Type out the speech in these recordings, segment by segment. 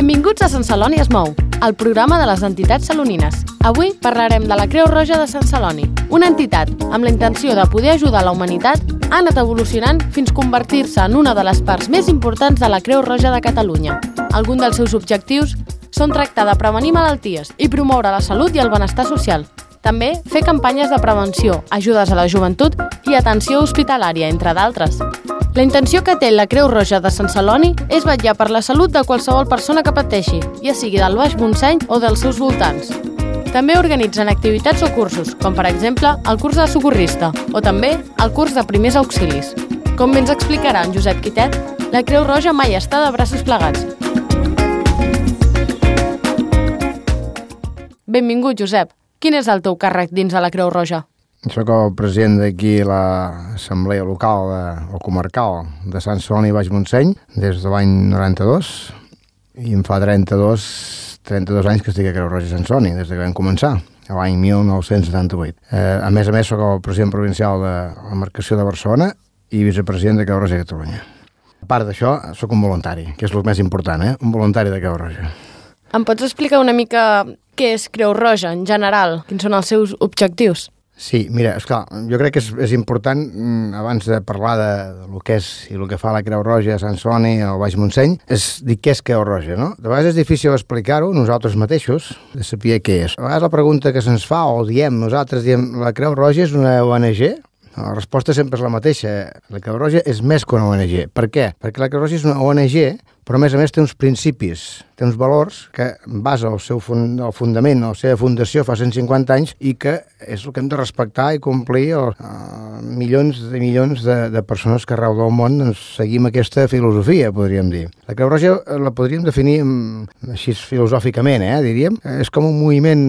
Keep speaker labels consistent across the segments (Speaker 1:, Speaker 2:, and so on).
Speaker 1: Benvinguts a Sant Celoni es mou, el programa de les entitats salonines. Avui parlarem de la Creu Roja de Sant Celoni, una entitat amb la intenció de poder ajudar la humanitat ha anat evolucionant fins convertir-se en una de les parts més importants de la Creu Roja de Catalunya. Alguns dels seus objectius són tractar de prevenir malalties i promoure la salut i el benestar social. També fer campanyes de prevenció, ajudes a la joventut i atenció hospitalària, entre d'altres. La intenció que té la Creu Roja de Sant Celoni és vetllar per la salut de qualsevol persona que pateixi, ja sigui del Baix Montseny o dels seus voltants. També organitzen activitats o cursos, com per exemple el curs de socorrista o també el curs de primers auxilis. Com bé ens explicarà en Josep Quitet, la Creu Roja mai està de braços plegats. Benvingut, Josep. Quin és el teu càrrec dins de la Creu Roja?
Speaker 2: Soc el president d'aquí l'Assemblea Local o Comarcal de Sant Celoni i Baix Montseny des de l'any 92 i em fa 32 anys que estic a Creu Roja i Sant Celoni des que vam començar, l'any 1978. A més, soc el president provincial de la Marcació de Barcelona i vicepresident de Creu Roja de Catalunya. A part d'això, soc un voluntari, que és el més important, un voluntari de Creu Roja.
Speaker 1: Em pots explicar una mica què és Creu Roja en general? Quins són els seus objectius?
Speaker 2: Sí, mira, esclar, jo crec que és important, abans de parlar del que és i el que fa la Creu Roja a Sant Celoni o Baix Montseny, és dir què és Creu Roja, no? De vegades és difícil explicar-ho nosaltres mateixos, de saber què és. A vegades la pregunta que se'ns fa, o nosaltres diem, la Creu Roja és una ONG? La resposta sempre és la mateixa. La Creu Roja és més que una ONG. Per què? Perquè la Creu Roja és una ONG, però a més té uns principis, té uns valors que basa el seu fundament, la seva fundació fa 150 anys i que és el que hem de respectar i complir milions de persones que arreu del món seguim aquesta filosofia, podríem dir. La Creu Roja la podríem definir així filosòficament, diríem. És com un moviment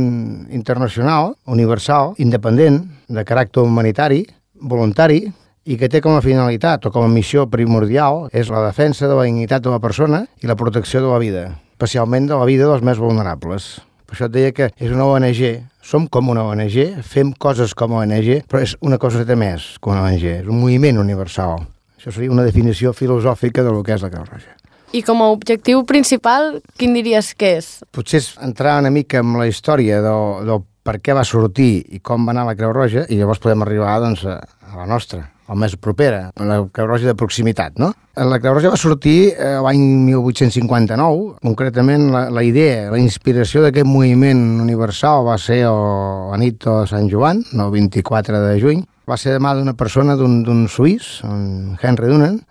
Speaker 2: internacional, universal, independent, de caràcter humanitari, voluntari, i que té com a finalitat o com a missió primordial és la defensa de la dignitat de la persona i la protecció de la vida, especialment de la vida dels més vulnerables. Per això et deia que és una ONG, som com una ONG, fem coses com a ONG, però és una coseta més que una ONG, és un moviment universal. Això seria una definició filosòfica del que és la Creu Roja.
Speaker 1: I com a objectiu principal, quin diries que és?
Speaker 2: Potser és entrar una mica en la història del per què va sortir i com va anar la Creu Roja i llavors podem arribar a la nostra, la més propera, la Creu Roja de proximitat, no? La Creu Roja va sortir l'any 1859, concretament la idea, la inspiració d'aquest moviment universal va ser la nit de Sant Joan, el 24 de juny, va ser de mà d'una persona, d'un suís, un Henry Dunant.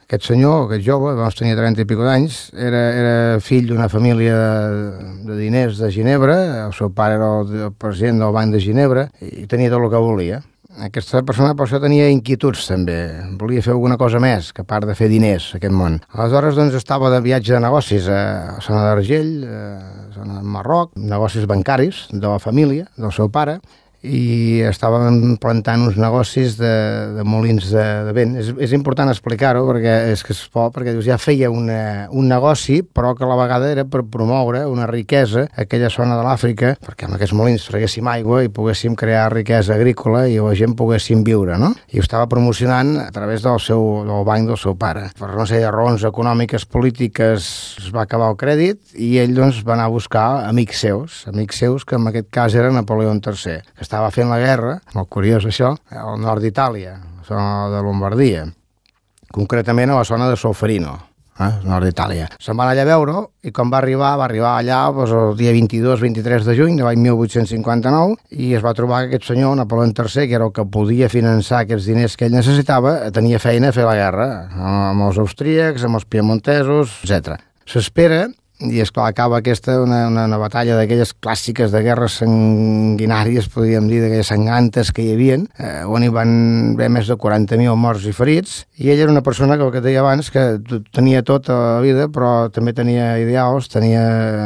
Speaker 2: Aquest senyor, aquest jove, tenia 30 i escaig d'anys, era fill d'una família de diners de Ginebra, el seu pare era el president del Banc de Ginebra i tenia tot el que volia. Aquesta persona per això tenia inquietuds també, volia fer alguna cosa més que a part de fer diners a aquest món. Aleshores estava de viatge de negocis a Zona d'Argell, a Zona de Marroc, negocis bancaris de la família, del seu pare, i estaven plantant uns negocis de molins de vent. És important explicar-ho perquè és que és por, perquè ja feia un negoci, però que a la vegada era per promoure una riquesa a aquella zona de l'Àfrica, perquè amb aquests molins traguéssim aigua i poguéssim crear riquesa agrícola i la gent poguéssim viure, no? I ho estava promocionant a través del banc del seu pare. Per una sèrie de raons econòmiques, polítiques, es va acabar el crèdit i ell va anar a buscar amics seus, que en aquest cas era Napoleó III, que estava fent la guerra, molt curiós això, al nord d'Itàlia, a la zona de Lombardia, concretament a la zona de Solferino, al nord d'Itàlia. Se'n va anar allà a veure i quan va arribar allà el dia 22-23 de juny de l'any 1859 i es va trobar que aquest senyor, Napoleó III, que era el que podia finançar aquests diners que ell necessitava, tenia feina a fer la guerra amb els austríacs, amb els piemontesos, etc. S'espera. I, esclar, acaba una batalla d'aquelles clàssiques de guerres sanguinàries, podríem dir, d'aquelles sangantes que hi havia, on hi van haver més de 40.000 morts i ferits, i ell era una persona que, el que deia abans, que tenia tota la vida, però també tenia ideals, tenia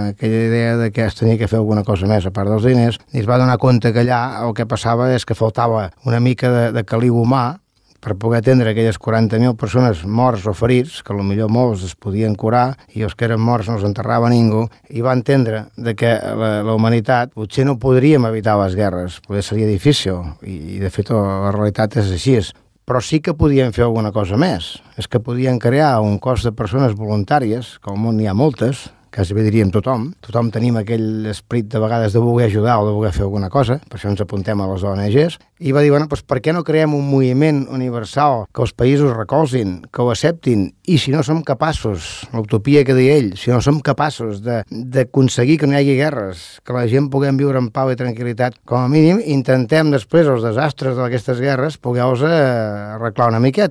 Speaker 2: aquella idea de que es tenia que fer alguna cosa més a part dels diners, i es va donar compte que allà el que passava és que faltava una mica de caliu humà per poder atendre aquelles 40.000 persones morts o ferits, que potser molts es podien curar i els que eren morts no els enterrava ningú, i va entendre que la humanitat potser no podríem evitar les guerres, potser seria difícil, i de fet la realitat és així, però sí que podien fer alguna cosa més. És que podien crear un cos de persones voluntàries, que al món n'hi ha moltes, quasi bé diríem tothom tenim aquell esperit de vegades de voler ajudar o de voler fer alguna cosa, per això ens apuntem a les ONGs, i va dir, bueno, doncs per què no creem un moviment universal que els països recolzin, que ho acceptin, i si no som capaços, l'utopia que deia ell, si no som capaços d'aconseguir que no hi hagi guerres, que la gent puguem viure en pau i tranquil·litat, com a mínim intentem després els desastres d'aquestes guerres poder-los arreglar una mica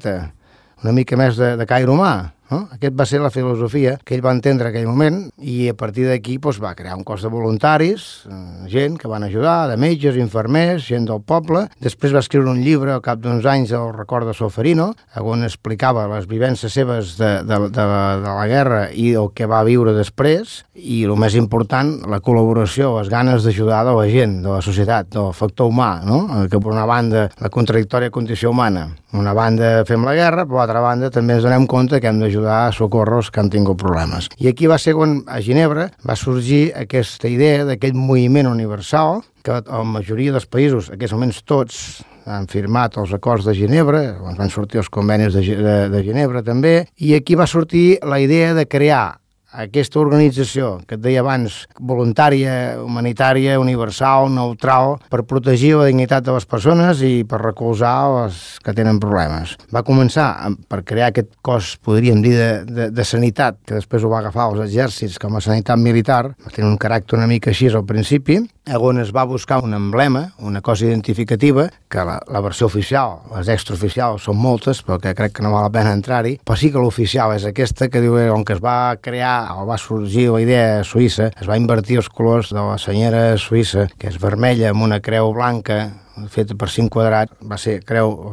Speaker 2: més de caire humà. No? Aquest va ser la filosofia que ell va entendre en aquell moment i a partir d'aquí va crear un cos de voluntaris, gent que van ajudar, de metges, infermers, gent del poble. Després va escriure un llibre al cap d'uns anys, el Record de Solferino, on explicava les vivències seves de la guerra i el que va viure després i el més important, la col·laboració, les ganes d'ajudar de la gent, de la societat, del factor humà, no? Que per una banda la contradictòria condició humana. Una banda fem la guerra, per l'altra banda també ens donem compte que hem d'ajudar a socorros que han tingut problemes. I aquí va ser quan a Ginebra va sorgir aquesta idea d'aquest moviment universal que la majoria dels països, en aquests moments tots, han firmat els acords de Ginebra, van sortir els convenis de Ginebra també, i aquí va sortir la idea de crear aquesta organització que et deia abans, voluntària, humanitària, universal, neutral, per protegir la dignitat de les persones i per recolzar les que tenen problemes. Va començar per crear aquest cos, podríem dir, de sanitat, que després ho va agafar els exèrcits com a sanitat militar, va tenir un caràcter una mica així al principi, on es va buscar un emblema, una cosa identificativa, que la versió oficial, les extraoficials són moltes, però que crec que no val la pena entrar-hi, però sí que l'oficial és aquesta, que diu on que es va crear o va sorgir la idea suïssa, es va invertir els colors de la senyera suïssa, que és vermella amb una creu blanca, feta per 5 quadrats, va ser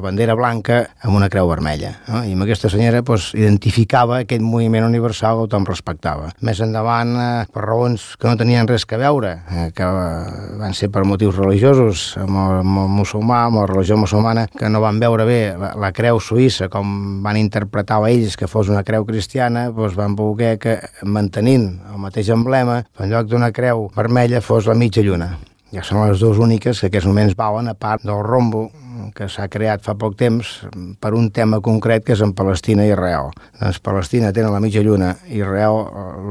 Speaker 2: bandera blanca amb una creu vermella. No? I amb aquesta senyora identificava aquest moviment universal que tothom respectava. Més endavant, per raons que no tenien res que veure, que van ser per motius religiosos, amb el musulmà, amb la religió musulmana, que no van veure bé la creu suïssa, com van interpretar ells que fos una creu cristiana, van voler que, mantenint el mateix emblema, en lloc d'una creu vermella fos la mitja lluna. Ja són les dues úniques que en aquests moments valen, a part del rombo que s'ha creat fa poc temps per un tema concret que és en Palestina i Israel. Doncs Palestina tenen la mitja lluna i Israel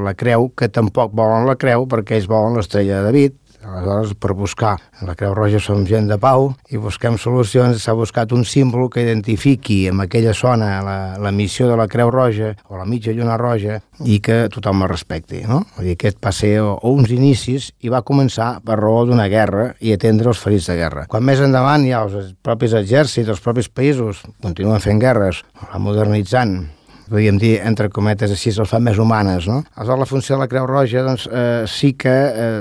Speaker 2: la creu, que tampoc volen la creu perquè ells volen l'estrella de David. Aleshores, per buscar la Creu Roja som gent de pau i busquem solucions, s'ha buscat un símbol que identifiqui en aquella zona la missió de la Creu Roja o la mitja lluna roja i que tothom la respecti, no? Vull dir, aquest va ser uns inicis i va començar per raó d'una guerra i atendre els ferits de guerra. Quan més endavant ja els propis exèrcits, els propis països continuen fent guerres, la modernitzant, podríem dir, entre cometes, així se'ls fa més humanes, no? Aleshores, la funció de la Creu Roja, doncs, sí que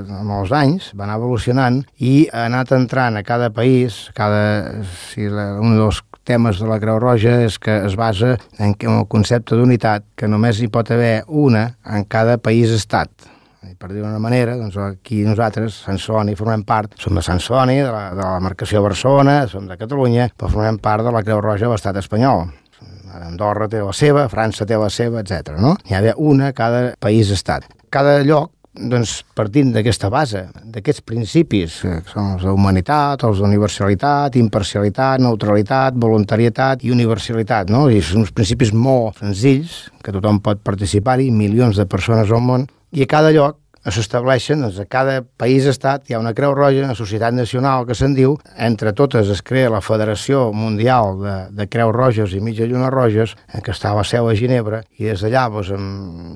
Speaker 2: amb els anys va anar evolucionant i ha anat entrant a cada país, un dels temes de la Creu Roja és que es basa en el concepte d'unitat, que només hi pot haver una en cada país-estat. Per dir d'una manera, doncs aquí nosaltres, Sant Celoni, formem part, som de Sant Celoni, de la marcació de Barcelona, som de Catalunya, però formem part de la Creu Roja de l'estat espanyol. Andorra té la seva, França té la seva, etc. No? Hi ha d'haver una a cada país-estat. Cada lloc, doncs, partint d'aquesta base, d'aquests principis, que són els d'humanitat, els d'universalitat, imparcialitat, neutralitat, voluntarietat i universalitat, no? I són uns principis molt senzills, que tothom pot participar-hi, milions de persones al món, i a cada lloc s'estableixen, doncs, a cada país-estat hi ha una Creu Roja, una societat nacional que se'n diu, entre totes es crea la Federació Mundial de Creus Roges i Mitja Lluna Roges, que està a la seu a Ginebra, i des d'allà, doncs,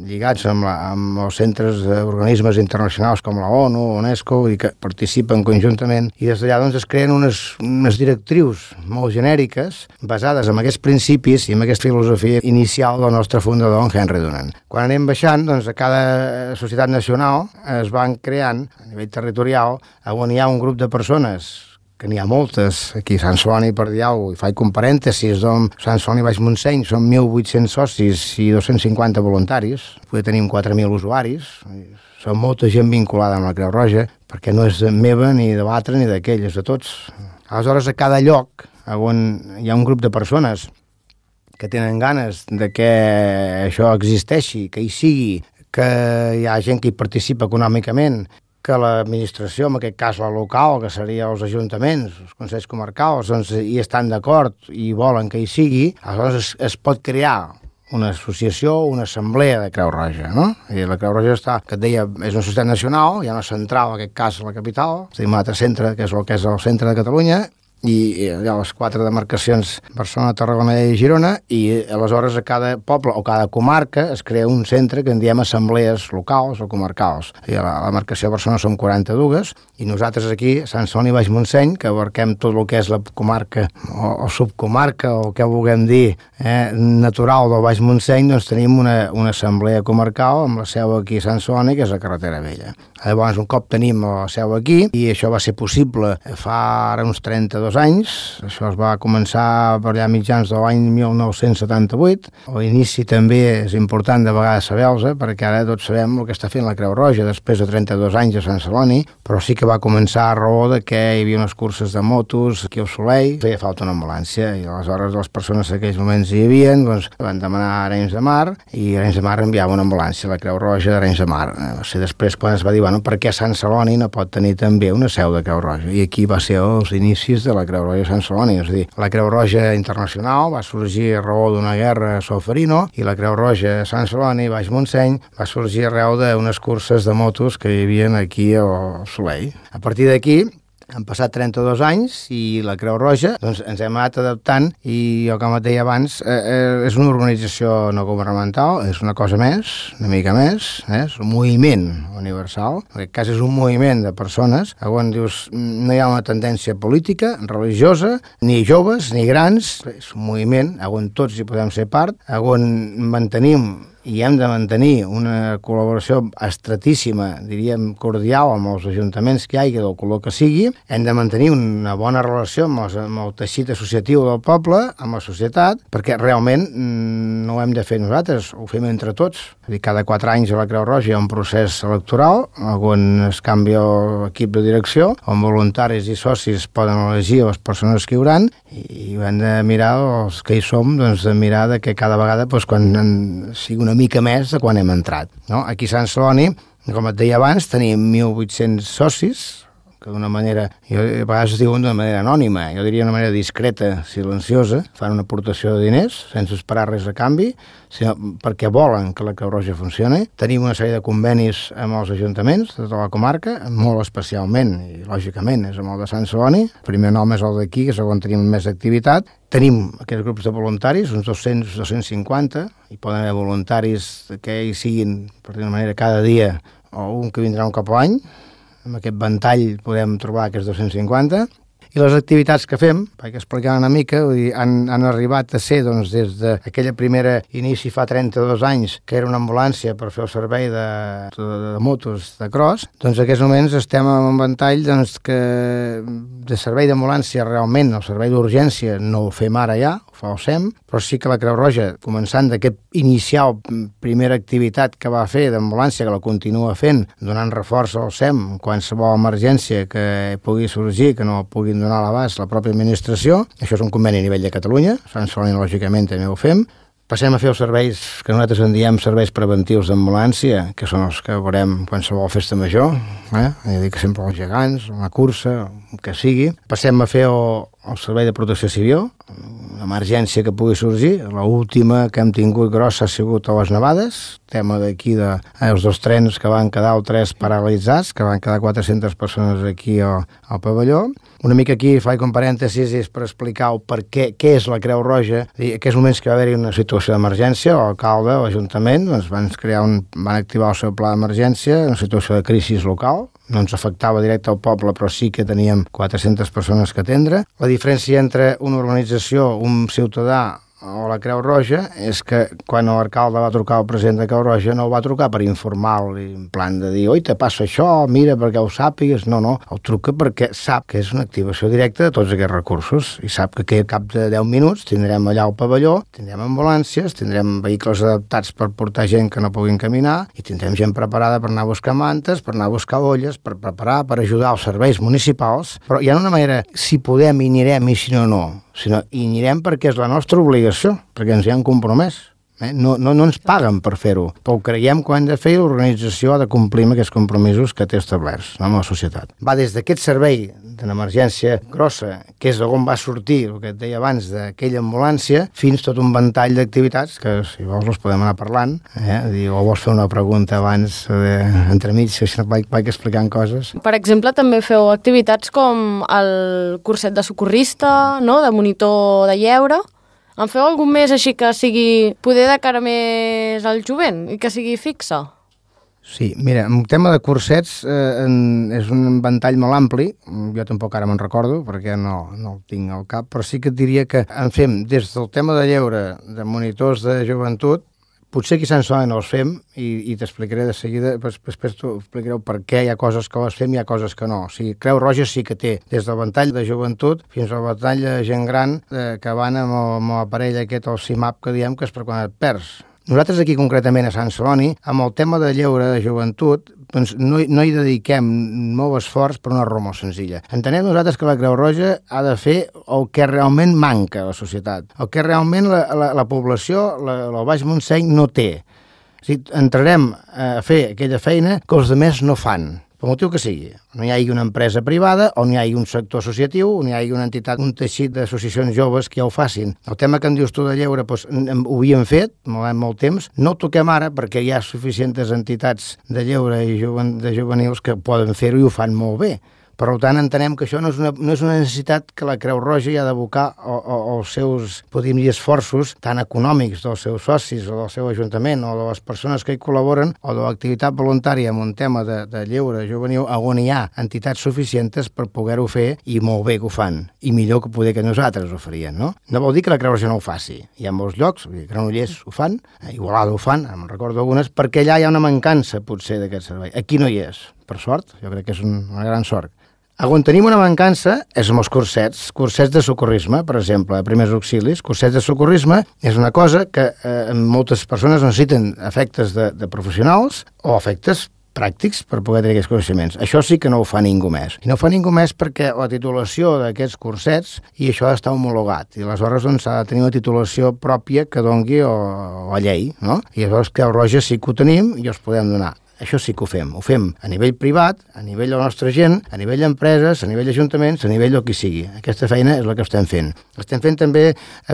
Speaker 2: lligats amb els centres d'organismes internacionals com la ONU, UNESCO, i que participen conjuntament, i des d'allà doncs, es creen unes directrius molt genèriques basades en aquests principis i en aquesta filosofia inicial del nostre fundador, en Henry Dunant. Quan anem baixant, doncs, a cada societat nacional es van creant a nivell territorial on hi ha un grup de persones, que n'hi ha moltes, aquí a Sant Celoni, per dir alguna cosa, i faig un parèntesis, doncs Sant Celoni Baix Montseny són 1.800 socis i 250 voluntaris, poder tenim 4.000 usuaris, són molta gent vinculada amb la Creu Roja, perquè no és meva ni de l'altre ni d'aquell, és de tots. Aleshores, a cada lloc on hi ha un grup de persones que tenen ganes de que això existeixi, que hi sigui, que hi ha gent que hi participa econòmicament, que l'administració, en aquest cas la local, que seria els ajuntaments, els consells comarcals, doncs hi estan d'acord i volen que hi sigui, aleshores es pot crear una associació, una assemblea de Creu Roja, no? I la Creu Roja està, que et deia, és una societat nacional, hi ha una central, en aquest cas, a la capital, tenim un altre centre, que és el el centre de Catalunya, i hi ha les 4 demarcacions Barcelona, Tarragona i Girona, i aleshores a cada poble o cada comarca es crea un centre que en diem assemblees locals o comarcals. I a la demarcació de Barcelona som 42 i nosaltres aquí, a Sant Celoni i Baix Montseny, que abarquem tot el que és la comarca o subcomarca o què vulguem dir natural del Baix Montseny, doncs tenim una assemblea comarcal amb la seu aquí a Sant Celoni, que és la Carretera Vella. Llavors, un cop tenim la seu aquí, i això va ser possible fa ara uns 32 anys, això es va començar per allà mitjans de l'any 1978. L'inici també és important de vegades saber-los, perquè ara tots sabem el que està fent la Creu Roja després de 32 anys a Sant Celoni, però sí que va començar a raó de que hi havia unes curses de motos aquí al Soleil, feia falta una ambulància, i aleshores les persones en aquells moments hi havia, doncs van demanar a Arenys de Mar, i Arenys de Mar enviava una ambulància a la Creu Roja d'Arenys de Mar. Va ser després quan es va dir, bueno, per què Sant Celoni no pot tenir també una seu de Creu Roja? I aquí va ser els inicis de la Creu Roja Sant Celoni, és a dir, la Creu Roja Internacional va sorgir a raó d'una guerra a Solferino, i la Creu Roja Sant Celoni, Baix Montseny, va sorgir arreu d'unes curses de motos que hi havia aquí al Soleil. A partir d'aquí han passat 32 anys i la Creu Roja doncs, ens hem anat adaptant, i jo, com et deia abans, és una organització no governamental, és una cosa més, una mica més, és un moviment universal. En aquest cas és un moviment de persones on dius, no hi ha una tendència política, religiosa, ni joves ni grans, és un moviment on tots hi podem ser part, on mantenim i hem de mantenir una col·laboració estretíssima, diríem cordial, amb els ajuntaments que hi hagi, del color que sigui. Hem de mantenir una bona relació amb el teixit associatiu del poble, amb la societat, perquè realment no ho hem de fer nosaltres, ho fem entre tots. És a dir, cada 4 anys a la Creu Roja hi ha un procés electoral on es canvia l'equip de direcció, on voluntaris i socis poden elegir les persones que hi hauran, i hem de mirar, els que hi som, doncs de mirar que cada vegada, quan sigui una mica més de quan hem entrat. No? Aquí a Sant Celoni, com et deia abans, tenim 1.800 socis, que d'una manera, a vegades es diuen d'una manera anònima, jo diria d'una manera discreta, silenciosa, fan una aportació de diners, sense esperar res a canvi, sinó perquè volen que la Creu Roja funcioni. Tenim una sèrie de convenis amb els ajuntaments de tota la comarca, molt especialment, i lògicament, és amb el de Sant Celoni. El primer nom és el d'aquí, que és on tenim més activitat. Tenim aquests grups de voluntaris, uns 200, 250, i poden haver voluntaris que hi siguin, per dir una manera, cada dia, o un que vindrà un cop a l'any. Amb aquest ventall podem trobar aquests 250. I les activitats que fem, perquè explicar una mica, vull dir, han arribat a ser, doncs, des d'aquella primera inici fa 32 anys, que era una ambulància per fer el servei de motos de cross, doncs en aquests moments estem en un ventall, doncs, que de servei d'ambulància realment, el servei d'urgència no ho fem ara ja, ho fa el SEM, però sí que la Creu Roja, començant d'aquest inicial primera activitat que va fer d'ambulància, que la continua fent, donant reforç al SEM, qualsevol emergència que pugui sorgir, que no puguin donar a l'abast la pròpia administració. Això és un conveni a nivell de Catalunya, Sant Celoni lògicament també ho fem. Passem a fer els serveis que nosaltres en diem serveis preventius d'ambulància, que són els que veurem qualsevol festa major, és a dir, que sempre els gegants, una cursa, que sigui. Passem a fer el servei de protecció civil, una emergència que pugui sorgir. L'última que hem tingut grossa ha sigut a les nevades, tema d'aquí dels 2 trens que van quedar, o 3 paralitzats, que van quedar 400 persones aquí al pavelló. Una mica aquí faig un parèntesis per explicar què és la Creu Roja. En aquests moments que va haver-hi una situació d'emergència, l'alcalde, l'Ajuntament, doncs van activar el seu pla d'emergència, una situació de crisi local. No ens afectava directe al poble, però sí que teníem 400 persones que atendre. La diferència entre una organització, un ciutadà o la Creu Roja és que quan l'alcalde va trucar al president de Creu Roja no el va trucar per informar-li en plan de dir, oi, te passa això, mira, perquè ho sàpigues. No, el truca perquè sap que és una activació directa de tots aquests recursos i sap que al cap de 10 minuts tindrem allà al pavelló, tindrem ambulàncies, tindrem vehicles adaptats per portar gent que no puguin caminar i tindrem gent preparada per anar a buscar mantes, per anar a buscar olles, per preparar, per ajudar als serveis municipals. Però hi ha una manera, si podem hi anirem i si no, sinó hi anirem perquè és la nostra obligació, perquè ens hi han compromès. No ens paguen per fer-ho, però ho creiem que ho hem de fer i l'organització ha de complir amb aquests compromisos que té establerts amb la societat. Va des d'aquest servei d'una emergència grossa, que és on va sortir, el que et deia abans, d'aquella ambulància, fins tot un ventall d'activitats que, si vols, els podem anar parlant. O vols fer una pregunta abans, entremig, si no vaig explicant coses.
Speaker 1: Per exemple, també feu activitats com el curset de socorrista, no?, de monitor de lleure. En feu algun més així que sigui poder de cara més al jovent i que sigui fixa?
Speaker 2: Sí, mira, el tema de cursets és un ventall molt ampli, jo tampoc ara me'n recordo perquè no el tinc al cap, però sí que et diria que en fem des del tema de lleure, de monitors de joventut. Potser aquí a Sant Celoni no els fem i t'explicaré de seguida, després t'ho explicareu per què hi ha coses que les fem i hi ha coses que no. O sigui, Creu Roja sí que té des del ventall de joventut fins al ventall de gent gran que van amb l'aparell aquest, el CIMAP, que diem que és per quan et perds. Nosaltres aquí concretament a Sant Celoni, amb el tema de lleure de joventut, doncs no hi dediquem molt esforç per una raó molt senzilla. Entenem nosaltres que la Creu Roja ha de fer el que realment manca a la societat, el que realment la població, el Baix Montseny, no té. O sigui, entrarem a fer aquella feina que els altres no fan, per motiu que sigui. No hi hagi una empresa privada, o no hi hagi un sector associatiu, o no hi hagi una entitat, un teixit d'associacions joves que ja ho facin. El tema que em dius tu de lleure, doncs, ho havíem fet, molt temps, no ho toquem ara perquè hi ha suficients entitats de lleure i de juvenils que poden fer-ho i ho fan molt bé. Per tant, entenem que això no és una necessitat que la Creu Roja hi ha d'abocar els seus, podríem dir, esforços tan econòmics dels seus socis o del seu ajuntament o de les persones que hi col·laboren o de l'activitat voluntària en un tema de lleure juvenil on hi ha entitats suficients per poder-ho fer i molt bé que ho fan i millor que poder que nosaltres ho farien, no? No vol dir que la Creu Roja no ho faci. Hi ha molts llocs, Granollers ho fan, Igualada ho fan, me'n recordo algunes, perquè allà hi ha una mancança potser d'aquest servei. Aquí no hi és, per sort, jo crec que és una gran sort. On tenim una mancança és amb els cursets de socorrisme, per exemple, primers auxilis. Cursets de socorrisme és una cosa que moltes persones necessiten efectes de professionals o efectes pràctics per poder tenir aquests coneixements. Això sí que no ho fa ningú més. I no ho fa ningú més perquè la titulació d'aquests cursets, i això ha d'estar homologat, i aleshores doncs, s'ha de tenir una titulació pròpia que dongui la llei, no? I llavors Creu Roja sí que ho tenim i els podem donar. Això sí que ho fem a nivell privat, a nivell de la nostra gent, a nivell d'empreses, a nivell d'ajuntaments, a nivell del que sigui. Aquesta feina és la que estem fent. Estem fent també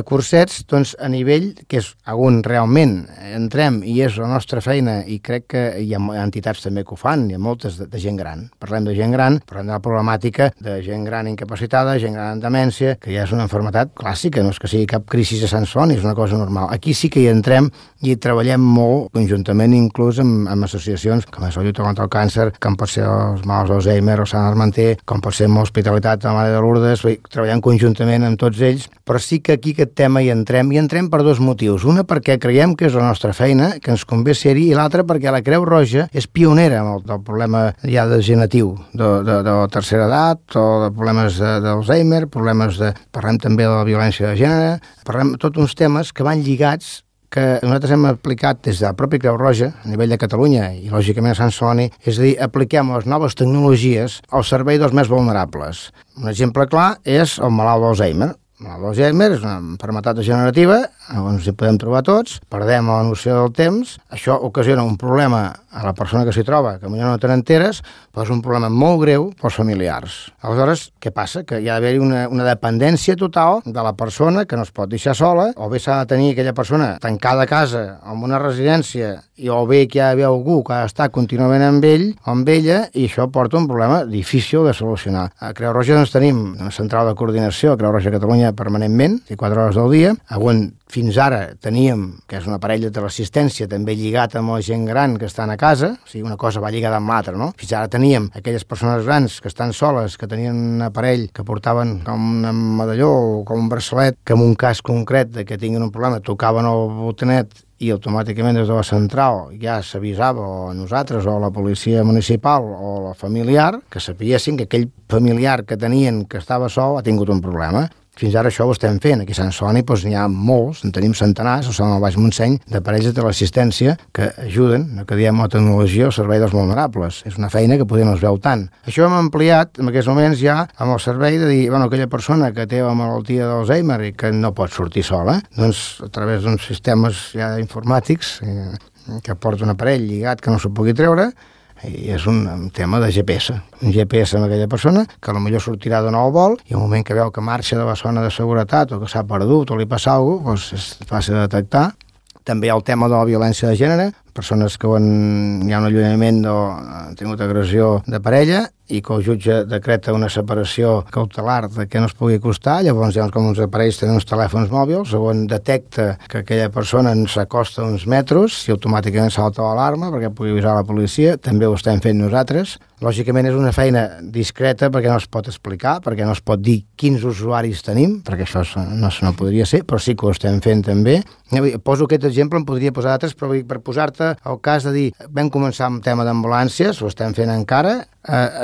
Speaker 2: cursets doncs, a nivell que és on realment entrem i és la nostra feina, i crec que hi ha entitats també que ho fan, hi ha moltes de gent gran. Parlem de gent gran, parlem de la problemàtica de gent gran incapacitada, gent gran amb demència, que ja és una malaltia clàssica, no és que sigui cap crisi a Sant Celoni, és una cosa normal. Aquí sí que hi entrem i treballem molt conjuntament, inclús amb associacions com és la lluita contra el càncer, com pot ser els malalts d'Alzheimer o Sant Armenter, com pot ser l'Hospitalitat de la Mare de Lourdes, treballant conjuntament amb tots ells, però sí que aquí aquest tema hi entrem per dos motius. Una, perquè creiem que és la nostra feina, que ens convé ser-hi, i l'altra perquè la Creu Roja és pionera amb el problema ja degeneratiu de la tercera edat o de problemes d'Alzheimer, parlem també de la violència de gènere, parlem tots uns temes que van lligats que nosaltres hem aplicat des de la pròpia Creu Roja, a nivell de Catalunya i lògicament a Sant Celoni, és a dir, apliquem les noves tecnologies al servei dels més vulnerables. Un exemple clar és el malalt d'Alzheimer. El malalt d'Alzheimer és una malaltia degenerativa on ens hi podem trobar tots, perdem la noció del temps, això ocasiona un problema a la persona que s'hi troba, que potser no te n'enteres, però és un problema molt greu pels familiars. Aleshores, què passa? Que hi ha d'haver una dependència total de la persona que no es pot deixar sola, o bé s'ha de tenir aquella persona tancada a casa, en una residència, o bé que hi ha d'haver algú que ha d'estar contínuament amb ell o amb ella, i això porta un problema difícil de solucionar. A Creu Roja doncs, tenim una central de coordinació, a Creu Roja Catalunya permanentment, 24 hores del dia, on fins ara teníem, que és un aparell de teleassistència també lligat amb la gent gran que estan a casa, o sigui, una cosa va lligada amb l'altra, no? Fins ara teníem aquelles persones grans que estan soles, que tenien un aparell que portaven com un medalló o com un braçalet, que en un cas concret de que tinguin un problema tocaven el botonet i automàticament des de la central ja s'avisava o a nosaltres o a la policia municipal o a la familiar, que sapiessin que aquell familiar que tenien que estava sol ha tingut un problema. Fins ara això ho estem fent. Aquí a Sant Celoni n'hi ha molts, en tenim centenars, al Baix Montseny, de parelles de teleassistència que ajuden, no que diem la tecnologia, al servei dels vulnerables. És una feina que potser no es veu tant. Això hem ampliat en aquests moments ja amb el servei de dir, aquella persona que té la malaltia d'Alzheimer i que no pot sortir sola, doncs a través d'uns sistemes ja informàtics que porta un aparell lligat que no s'ho pugui treure, i és un tema de GPS. Un GPS amb aquella persona que potser sortirà de nou vol i al moment que veu que marxa de la zona de seguretat o que s'ha perdut o li passa alguna cosa, és fàcil de detectar. També hi ha el tema de la violència de gènere, persones que hi ha un allunyament o han tingut agressió de parella i que el jutge decreta una separació cautelar de que no es pugui acostar, llavors com uns aparells tenen uns telèfons mòbils, on detecta que aquella persona s'acosta uns metres i automàticament salta l'alarma perquè pugui avisar la policia, també ho estem fent nosaltres. Lògicament és una feina discreta perquè no es pot explicar, perquè no es pot dir quins usuaris tenim, perquè això no podria ser, però sí que ho estem fent també. Poso aquest exemple, en podria posar altres, però per posar-te el cas de dir, vam començar amb tema d'ambulàncies, ho estem fent encara,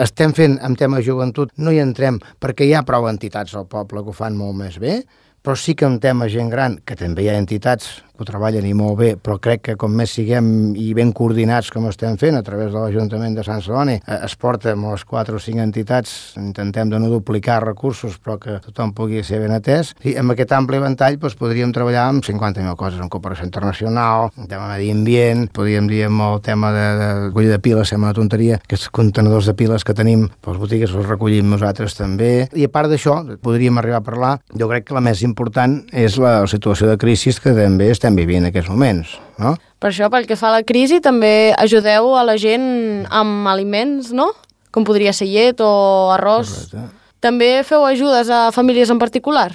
Speaker 2: estem fent amb tema de joventut, no hi entrem perquè hi ha prou entitats al poble que ho fan molt més bé, però sí que en tema gent gran, que també hi ha entitats que ho treballen i molt bé, però crec que com més siguem i ben coordinats com estem fent a través de l'Ajuntament de Sant Celoni, es porta amb les 4 o 5 entitats, intentem de no duplicar recursos, però que tothom pugui ser ben atès, i amb aquest ampli ventall podríem treballar amb 50.000 coses, en cooperació internacional, en tema de medi ambient, podríem dir amb el tema de recollida de piles, sembla una tonteria, aquests contenedors de piles que tenim, les botigues els recollim nosaltres també, i a part d'això, podríem arribar a parlar, jo crec que la més important és la situació de crisi que també estem vivint en aquests moments, no?
Speaker 1: Per això, pel que fa a la crisi, també ajudeu a la gent amb aliments, no? Com podria ser llet o arròs.
Speaker 2: Correcte. També
Speaker 1: feu ajudes a famílies en particular?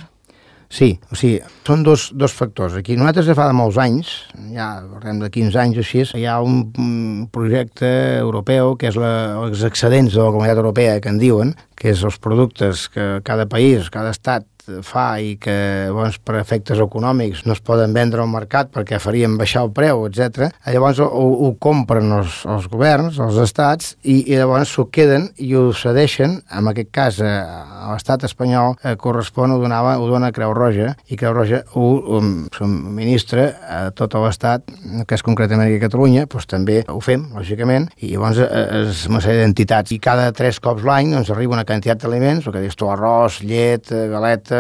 Speaker 2: Sí, o sigui, són dos factors. Aquí nosaltres ja fa de molts anys, ja parlem de 15 anys o així, hi ha un projecte europeu que és els excedents de la Comunitat Europea, que en diuen, que és els productes que cada país, cada estat fa i que per efectes econòmics no es poden vendre al mercat perquè farien baixar el preu, etc. Llavors ho compren els governs, els estats, i llavors s'ho queden i ho cedeixen, en aquest cas a l'estat espanyol correspon, ho dona Creu Roja, i Creu Roja ho subministra a tot l'estat, que és concretament aquí a Catalunya, doncs també ho fem, lògicament, i llavors és una sèrie d'entitats, i cada 3 cops l'any arriba una quantitat d'aliments, el que dius tu, arròs, llet, galetes,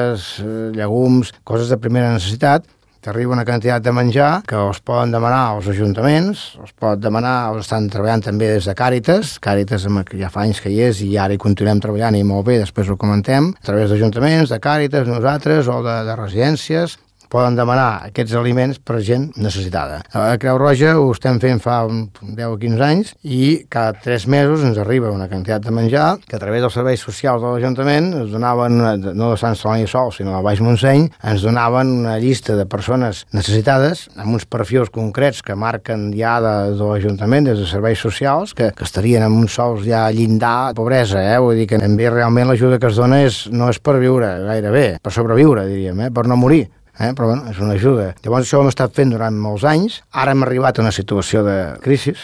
Speaker 2: llegums, coses de primera necessitat. T'arriba una quantitat de menjar que els poden demanar als ajuntaments, els pot demanar, els estan treballant també des de Càritas ja fa anys que hi és i ara hi continuem treballant i molt bé, després ho comentem, a través d'ajuntaments, de Càritas, nosaltres, o de residències, poden demanar aquests aliments per gent necessitada. A Creu Roja ho estem fent fa 10 o 15 anys i cada 3 mesos ens arriba una quantitat de menjar que a través dels serveis socials de l'Ajuntament ens donaven, no de Sant Celoni sol, sinó del Baix Montseny, ens donaven una llista de persones necessitades amb uns perfils concrets que marquen ja de l'Ajuntament, des de serveis socials, que estarien amb uns sous ja llindar de pobresa, vull dir que realment l'ajuda que es dona no és per viure gairebé, per sobreviure, diríem, per no morir. Però bueno, és una ajuda. Llavors això ho hem estat fent durant molts anys. Ara hem arribat a una situació de crisi,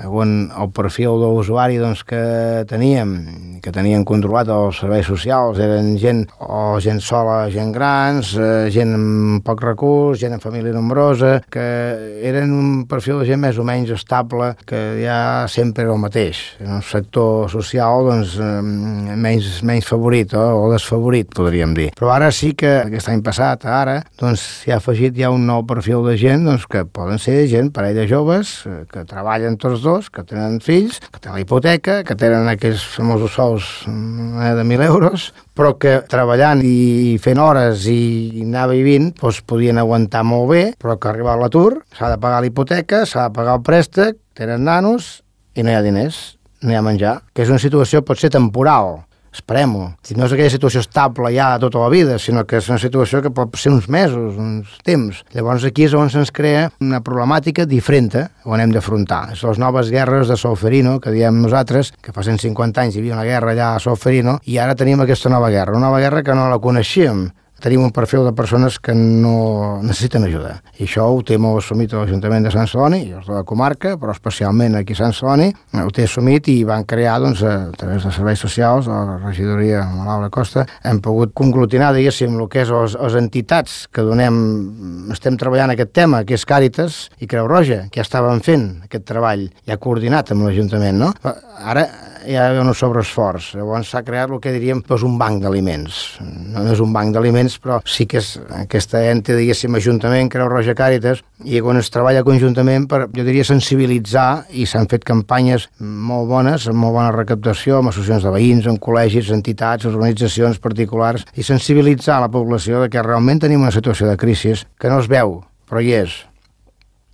Speaker 2: on el perfil de l'usuari que tenien controlat els serveis socials eren gent sola, gent grans, gent amb poc recurs, gent amb família nombrosa, que eren un perfil de gent més o menys estable, que ja sempre era el mateix. En el sector social, menys favorit o desfavorit, podríem dir. Però ara sí que, aquest any passat, ara, s'hi ha afegit ja un nou perfil de gent que poden ser gent, parelles joves, que treballen tots dos, que tenen fills, que tenen la hipoteca, que tenen aquells famosos sous de 1.000 euros, però que treballant i fent hores i anar vivint podien aguantar molt bé, però que arriba a l'atur, s'ha de pagar la hipoteca, s'ha de pagar el préstec, tenen nanos i no hi ha diners, no hi ha menjar, que és una situació pot ser temporal. Esperem-ho. No és aquella situació estable ja tota la vida, sinó que és una situació que pot ser uns mesos, uns temps. Llavors aquí és on se'ns crea una problemàtica diferent on hem d'afrontar. És les noves guerres de Solferino, que diem nosaltres, que fa 150 anys hi havia una guerra allà a Solferino, i ara tenim aquesta nova guerra. Una nova guerra que no la coneixíem. tenim un perfil de persones que no necessiten ajuda. I això ho té molt assumit l'Ajuntament de Sant Celoni, i els de la comarca, però especialment aquí a Sant Celoni, ho té assumit i van crear, doncs, a través de serveis socials, a la regidoria amb Laura Costa, hem pogut conglutinar, diguéssim, el que és les entitats que estem treballant aquest tema, que és Càritas i Creu Roja, que ja estaven fent aquest treball, ja coordinat amb l'Ajuntament, no? Ara hi ha un sobreesforç. Llavors s'ha creat el que diríem un banc d'aliments. No és un banc d'aliments, però sí que és aquesta ente, diguéssim, Ajuntament, Creu Roja, Càritas, i quan es treballa conjuntament per, jo diria, sensibilitzar, i s'han fet campanyes molt bones, amb molt bona recaptació, amb associacions de veïns, amb col·legis, entitats, organitzacions particulars, i sensibilitzar la població de que realment tenim una situació de crisi que no es veu, però hi és.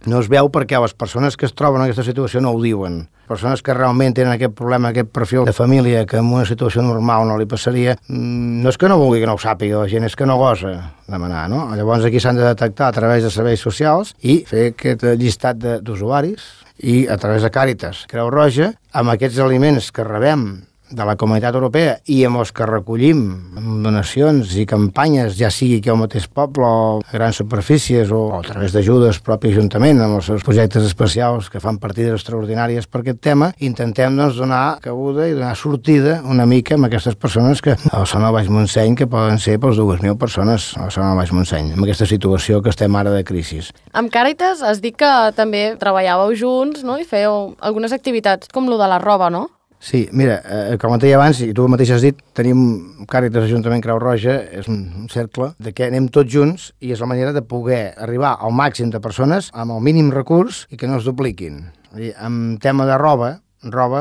Speaker 2: No es veu perquè les persones que es troben en aquesta situació no ho diuen. Persones que realment tenen aquest problema, aquest perfil de família que en una situació normal no li passaria, no és que no vulgui que no ho sàpiga la gent, és que no gosa demanar, no? Llavors aquí s'han de detectar a través de serveis socials i fer aquest llistat d'usuaris i a través de Càritas, Creu Roja, amb aquests aliments que rebem de la Comunitat Europea i amb els que recollim amb donacions i campanyes, ja sigui aquí al mateix poble o a grans superfícies o a través d'ajudes propi Ajuntament amb els seus projectes especials que fan partides extraordinàries per aquest tema, intentem doncs, donar cabuda i donar sortida una mica amb aquestes persones que a la zona del Baix Montseny, que poden ser pels 2.000 persones a la zona del Baix Montseny, amb aquesta situació que estem ara de crisi.
Speaker 1: Amb Càritas has dit que també treballàveu junts, no? I fèieu algunes activitats com lo de la roba, no?
Speaker 2: Sí, mira, com et deia abans, i tu mateix has dit, tenim Càritas Ajuntament Creu Roja, és un cercle de què anem tots junts i és la manera de poder arribar al màxim de persones amb el mínim recurs i que no es dupliquin. En tema de roba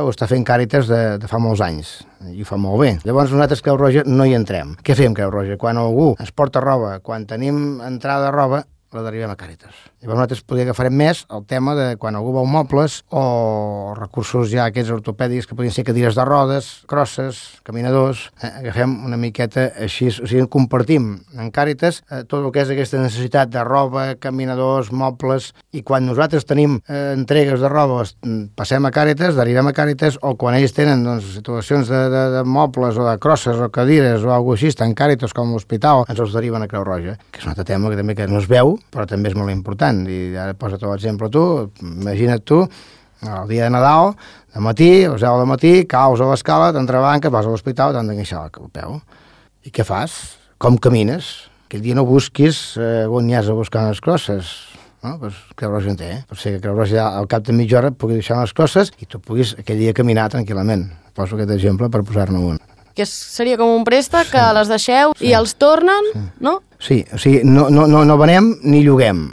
Speaker 2: ho està fent Càritas de fa molts anys i ho fa molt bé. Llavors nosaltres Creu Roja no hi entrem. Què fem Creu Roja? Quan algú ens porta roba, quan tenim entrada de roba, la derivem a Càritas. Llavors nosaltres podria agafarem més el tema de quan algú vol mobles o recursos ja aquests ortopèdics que podrien ser cadires de rodes, crosses, caminadors, agafem una miqueta així, o sigui, compartim en Càritas tot el que és aquesta necessitat de roba, caminadors, mobles, i quan nosaltres tenim entregues de roba passem a Càritas, derivem a Càritas, o quan ells tenen doncs, situacions de mobles o de crosses o cadires o alguna cosa així, tant Càritas com l'hospital, ens els deriven a Creu Roja, que és un altre tema que també que no es veu, però també és molt important. I ara posa't l'exemple tu, imagina't tu, el dia de Nadal, de matí, a les 10 del matí, caus a l'escala, t'entrebanques, vas a l'hospital, t'han d'enganxar el peu. I què fas? Com camines? Aquell dia no busquis on hi has a buscar les crosses. No? Pues Creu Roja en té, per ser que Creu Roja al cap de mitja hora pugui deixar les crosses i tu puguis aquell dia caminar tranquil·lament. Poso aquest exemple per posar-ne un.
Speaker 1: Que seria com un préstec que les deixeu i els tornen, no?
Speaker 2: Sí, o sigui, no venem ni lloguem.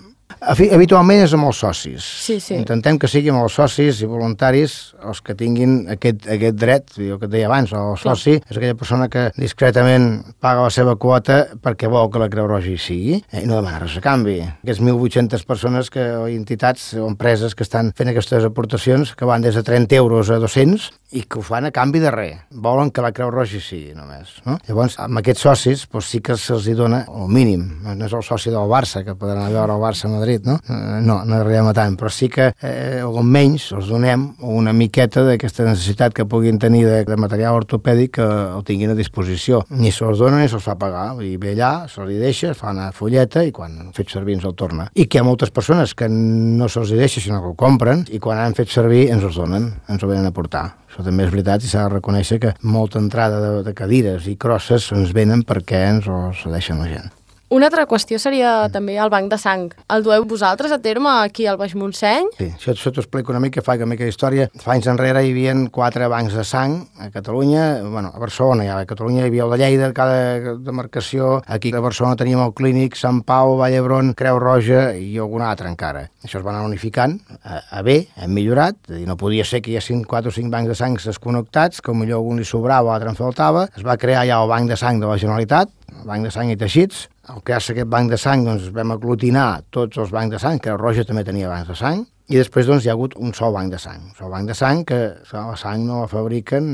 Speaker 2: Habitualment és amb els socis.
Speaker 1: Sí.
Speaker 2: Intentem que siguin els socis i voluntaris els que tinguin aquest dret, el que et deia abans, el soci és aquella persona que discretament paga la seva quota perquè vol que la Creu Roja hi sigui i no demana res a canvi. Aquestes 1.800 persones o entitats o empreses que estan fent aquestes aportacions que van des de 30 euros a 200 i que ho fan a canvi de res. Volen que la Creu Roja hi sigui només. No? Llavors, amb aquests socis doncs, sí que se'ls dona el mínim. No és el soci del Barça, que poden anar a veure el Barça a Madrid, no? No arribem a tant, però sí que almenys els donem una miqueta d'aquesta necessitat que puguin tenir de material ortopèdic que el tinguin a disposició. Ni se'ls dona ni se'ls fa pagar. I ve allà, se li deixa, fa una folleta i quan han fet servir ens el torna. I que hi ha moltes persones que no se'ls deixa, sinó que ho compren i quan han fet servir ens els donen, ens ho venen a portar. Això també és veritat i s'ha de reconèixer que molta entrada de cadires i crosses ens venen perquè ens ho cedeixen la gent.
Speaker 1: Una altra qüestió seria també el banc de sang. El dueu vosaltres a terme aquí al Baix Montseny?
Speaker 2: Sí, això t'ho explico una mica, faig una mica d'història. Fa anys enrere hi havia 4 bancs de sang a Catalunya, a Barcelona, a Catalunya hi havia el de Lleida, cada demarcació. Aquí a Barcelona teníem el Clínic, Sant Pau, Vall d'Hebron, Creu Roja i algun altre encara. Això es va anar unificant a bé, hem millorat, és a dir, no podia ser que hi haguessin 4 o 5 bancs de sang desconnectats, que potser algun li sobrava o altre en faltava. Es va crear ja el banc de sang de la Generalitat, el banc de sang i teixits. Al crear-se aquest banc de sang, doncs, vam aglutinar tots els bancs de sang, Creu Roja també tenia bancs de sang, i després doncs, hi ha hagut un sol banc de sang. Un sol banc de sang que la sang no la fabriquen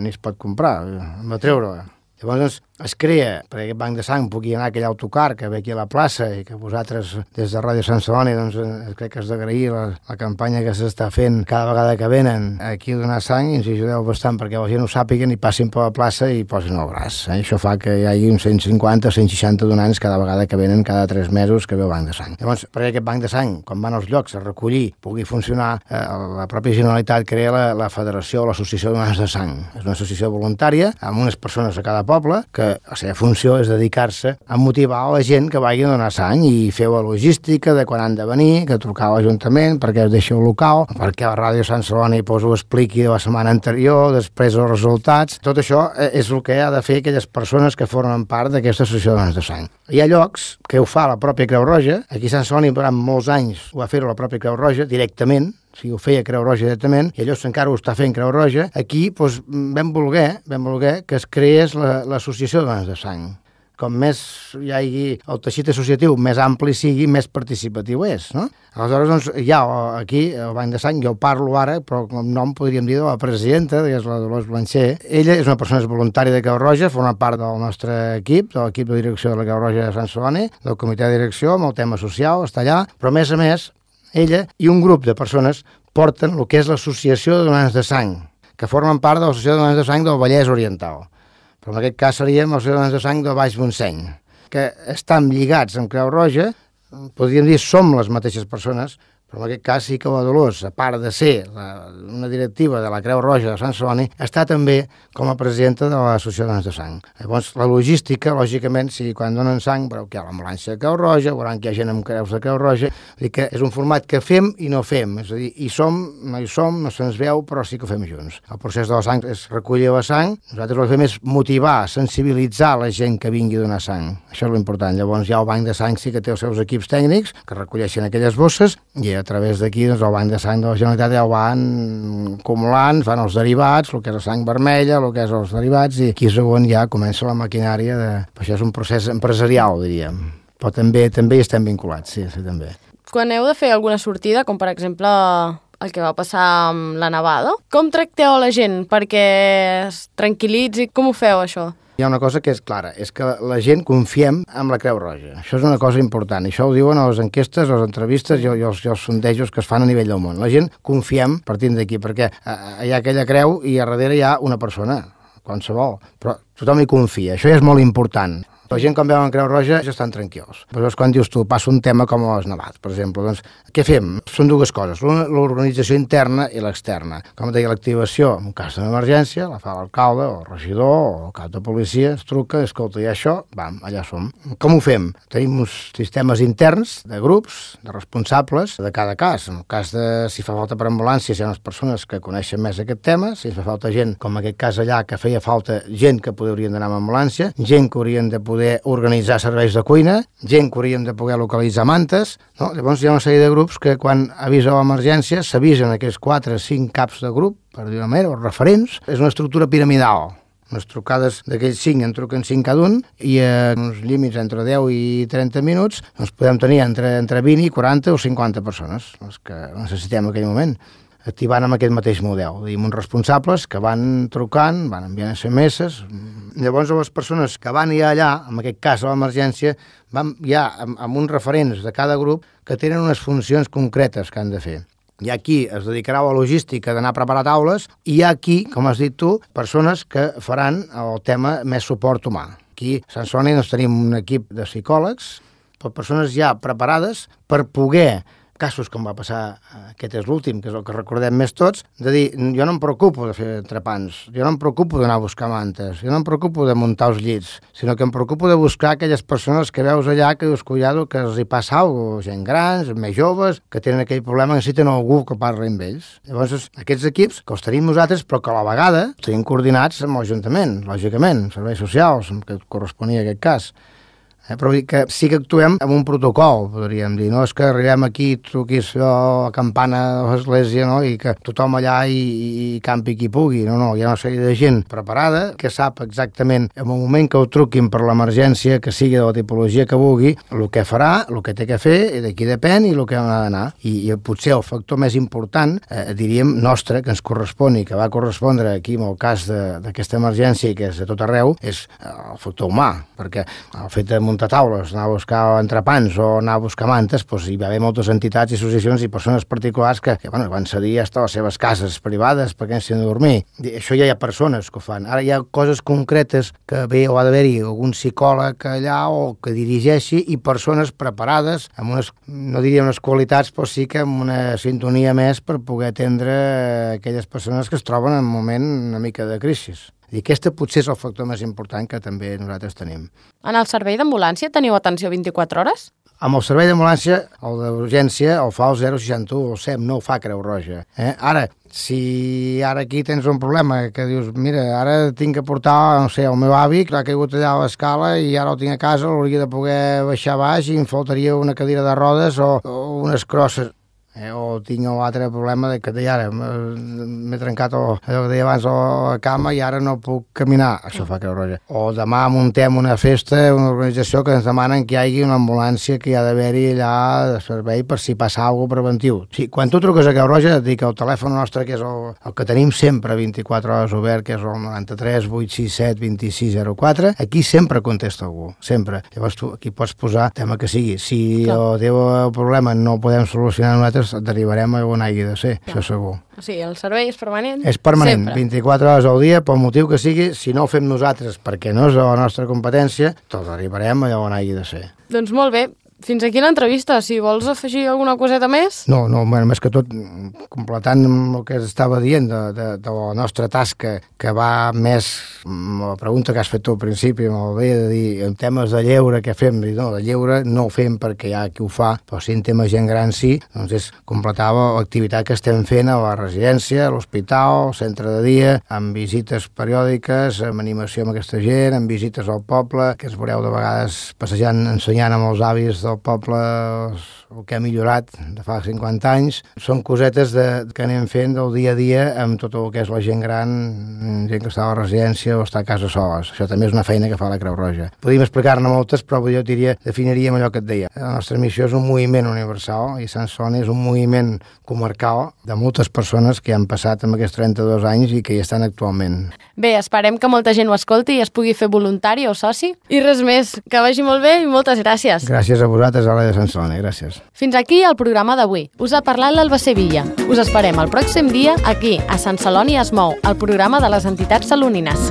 Speaker 2: ni es pot comprar, hem de treure-la. Llavors, es crea perquè aquest banc de sang pugui anar a aquell autocar que ve aquí a la plaça i que vosaltres des de Ràdio Sant Celoni doncs, crec que has d'agrair la campanya que s'està fent cada vegada que venen aquí a donar sang i ens ajudeu bastant perquè la gent ho sàpiguen i passin per la plaça i posin el braç. Això fa que hi hagi uns 150 o 160 donants cada vegada que venen cada 3 mesos que ve el banc de sang. Llavors, perquè aquest banc de sang, quan van als llocs a recollir, pugui funcionar, la pròpia Generalitat crea la Federació o l'Associació de Donants de Sang. És una associació voluntària amb unes persones a cada poble que la seva funció és dedicar-se a motivar a la gent que vagi a donar sang i fer la logística de quan han de venir, que trucar a l'Ajuntament, perquè es deixi el local, perquè la Ràdio Sant Celoni ho expliqui de la setmana anterior, després els resultats. Tot això és el que ha de fer aquelles persones que formen part d'aquesta associació de donants de sang. Hi ha llocs que ho fa la pròpia Creu Roja. Aquí a Sant Celoni durant molts anys ho va fer la pròpia Creu Roja directament, o sigui, ho feia Creu Roja directament, i allò encara ho està fent Creu Roja. Aquí doncs, vam voler que es creés l'associació de donants de sang. Com més hi hagi el teixit associatiu, més ampli sigui, més participatiu és, no? Aleshores, doncs, hi ha aquí el Banc de Sang, jo parlo ara, però com nom podríem dir de la presidenta, que és la Dolors Blancher. Ella és una persona voluntària de Creu Roja, forma part del nostre equip, de l'equip de direcció de la Creu Roja de Sant Celoni, del comitè de direcció, amb el tema social, està allà, però a més, ella i un grup de persones porten el que és l'Associació de Donants de Sang, que formen part de l'Associació de Donants de Sang del Vallès Oriental. Però en aquest cas seríem els donants de sang del Baix Montseny, que estan lligats amb Creu Roja, podríem dir som les mateixes persones, però en aquest cas sí que la Dolors, a part de ser una directiva de la Creu Roja de Sant Celoni, està també com a presidenta de l'Associació de Donants de Sang. Llavors, la logística, lògicament, si quan donen sang, veureu que hi ha l'ambulància de Creu Roja, veuran que hi ha gent amb creus de Creu Roja, vull dir que és un format que fem i no fem, és a dir, hi som, no se'ns veu, però sí que ho fem junts. El procés de la sang és recollir la sang, nosaltres el que fem és motivar, sensibilitzar la gent que vingui a donar sang. Això és l'important. Llavors, ja el banc de sang sí que té els seus equips tècnics, que recolleixen aquelles bosses, i a través d'aquí doncs, el banc de sang de la Generalitat ja ho van acumulant, fan els derivats, el que és la sang vermella, el que és els derivats, i aquí segon ja comença la maquinària de... Això és un procés empresarial, diríem. Però també hi estem vinculats, sí, també.
Speaker 1: Quan heu de fer alguna sortida, com per exemple el que va passar amb la nevada, com tracteu a la gent perquè es tranquil·litzi? Com ho feu, això?
Speaker 2: Hi ha una cosa que és clara, és que la gent confiem en la Creu Roja. Això és una cosa important. I això ho diuen a les enquestes, a les entrevistes i als sondejos que es fan a nivell del món. La gent confiem partint d'aquí, perquè hi ha aquella creu i a darrere hi ha una persona, qualsevol. Però tothom hi confia. Això ja és molt important. La gent, quan veuen Creu Roja, ja estan tranquils. Però quan dius tu, passa un tema com les nevades, per exemple, doncs, què fem? Són dues coses, l'organització interna i l'externa. Com deia, l'activació, en cas d'emergència, la fa l'alcalde, o el regidor, o el cap de policia, es truca, escolta, i això, vam, allà som. Com ho fem? Tenim uns sistemes interns de grups, de responsables, de cada cas. En el cas de, si fa falta per ambulància, hi ha unes persones que coneixen més aquest tema, si fa falta gent, com en aquest cas allà, que feia falta gent que haurien d'anar amb ambulància, gent que haurien de poder organitzar serveis de cuina, gent que hauríem de poder localitzar mantes, no? Llavors hi ha una sèrie de grups que quan avisa l'emergència s'avisen aquests 4 o 5 caps de grup, per dir una manera, o referents. És una estructura piramidal. Les trucades d'aquells 5 en truquen 5 cada un i a uns límits entre 10 i 30 minuts doncs podem tenir entre 20 i 40 o 50 persones, les que necessitem en aquell moment, activant amb aquest mateix model. Diguem, uns responsables que van trucant, van enviant SMS. Llavors, les persones que van ja allà, en aquest cas a l'emergència, van ja amb uns referents de cada grup que tenen unes funcions concretes que han de fer. Hi ha qui es dedicarà a la logística d'anar a preparar taules i hi ha qui, com has dit tu, persones que faran el tema més suport humà. Aquí a Sant Celoni tenim un equip de psicòlegs, per persones ja preparades per poder casos com va passar, aquest és l'últim, que és el que recordem més tots, de dir, jo no em preocupo de fer entrepans, jo no em preocupo d'anar a buscar mantes, jo no em preocupo de muntar els llits, sinó que em preocupo de buscar aquelles persones que veus allà que dius, cuidado, que els hi passa alguna cosa, gent grans, més joves, que tenen aquell problema, necessiten algú que parli amb ells. Llavors, aquests equips, que els tenim nosaltres, però que a la vegada tenim coordinats amb l'Ajuntament, lògicament, serveis socials, que corresponia a aquest cas. Però que sí que actuem amb un protocol, podríem dir. No és que arribem aquí, truquis a campana de l'església, no? I que tothom allà i campi qui pugui. No, hi ha una sèrie de gent preparada que sap exactament en el moment que ho truquin per l'emergència, que sigui de la tipologia que vulgui, el que farà, el que té que fer, i d'aquí depèn i el que ha d'anar. I potser el factor més important, diríem, nostre, que ens correspon i que va correspondre aquí en el cas d'aquesta emergència, que és a tot arreu, és el factor humà, perquè el fet de muntar taules, anar a buscar entrepans o anar a buscar mantes, doncs hi va haver moltes entitats i associacions i persones particulars que van cedir hasta les seves cases privades perquè s'hi han de dormir. I això ja hi ha persones que ho fan. Ara hi ha coses concretes que o ha d'haver-hi algun psicòleg allà o que dirigeixi i persones preparades amb unes, no diria unes qualitats, però sí que amb una sintonia més per poder atendre aquelles persones que es troben en un moment una mica de crisi. I aquest potser és el factor més important que també nosaltres tenim.
Speaker 1: En el servei d'ambulància teniu atenció 24 hores?
Speaker 2: Amb el servei d'ambulància, el d'urgència, el fa el 061, el SEM, no ho fa Creu Roja. Ara, si ara aquí tens un problema, que dius, mira, ara tinc que portar, no sé, el meu avi, que ha caigut allà a l'escala i ara el tinc a casa, l'hauria de poder baixar baix i em faltaria una cadira de rodes o unes crosses. O tinc l'altre problema de que ara m'he trencat allò que deia abans la cama i ara no puc caminar. Això fa Creu Roja. O demà muntem una festa, una organització que ens demanen que hi hagi una ambulància que hi ha d'haver-hi allà de servei per si passa alguna cosa preventiu. Sí, quan tu truques a Creu Roja et dic el telèfon nostre, que és el que tenim sempre 24 hores obert, que és el 93 867 2604, aquí sempre contesta algú, sempre. Llavors tu aquí pots posar el tema que sigui. Si el teu problema no el podem solucionar nosaltres, et derivarem a on hagi de ser, això segur.
Speaker 1: O sigui, el servei és permanent?
Speaker 2: És permanent,
Speaker 1: sempre.
Speaker 2: 24 hores al dia, pel motiu que sigui, si no ho fem nosaltres perquè no és de la nostra competència, te'l derivarem allà on hagi de ser.
Speaker 1: Doncs molt bé. Fins aquí l'entrevista. Si vols afegir alguna coseta més?
Speaker 2: No, més que tot, completant el que estava dient de la nostra tasca, que va més, la pregunta que has fet tu al principi, molt bé, de dir, en temes de lleure, què fem? No, de lleure no ho fem perquè hi ha qui ho fa, però si en temes gent gran sí, doncs és completar l'activitat que estem fent a la residència, a l'hospital, al centre de dia, amb visites periòdiques, amb animació amb aquesta gent, amb visites al poble, que es veureu de vegades passejant, ensenyant amb els avis del poble el que ha millorat de fa 50 anys. Són cosetes que anem fent del dia a dia amb tot el que és la gent gran, gent que està a la residència o està a casa soles. Això també és una feina que fa la Creu Roja. Podríem explicar-ne moltes, però jo definiríem allò que et deia. La nostra missió és un moviment universal i Sant Celoni és un moviment comarcal de moltes persones que han passat en aquests 32 anys i que hi estan actualment.
Speaker 1: Bé, esperem que molta gent ho escolti i es pugui fer voluntari o soci. I res més, que vagi molt bé i moltes gràcies.
Speaker 2: Gràcies a vosaltres, a la de Sant Celoni. Gràcies.
Speaker 1: Fins aquí el programa d'avui. Us ha parlat l'Alba Sevilla. Us esperem el pròxim dia aquí, a Sant Celoni es mou, el programa de les entitats salonines.